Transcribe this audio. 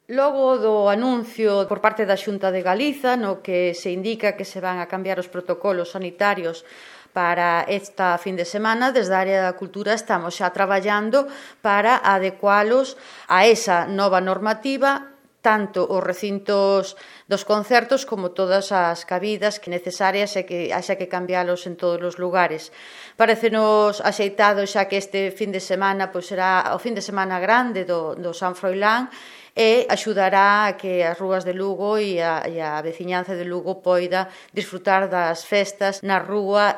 Logo do anuncio por parte da Xunta de Galiza, no que se indica que se van a cambiar os protocolos sanitarios para esta fin de semana, desde a área da cultura estamos xa traballando para adecualos a esa nova normativa, tanto os recintos dos concertos como todas as cabidas que necesarias e que haxa que cambialos en todos os lugares. Parécenos axeitado xa que este fin de semana será o fin de semana grande do San Froilán e axudará a que as rúas de Lugo e a veciñanza de Lugo poida disfrutar das festas na rúa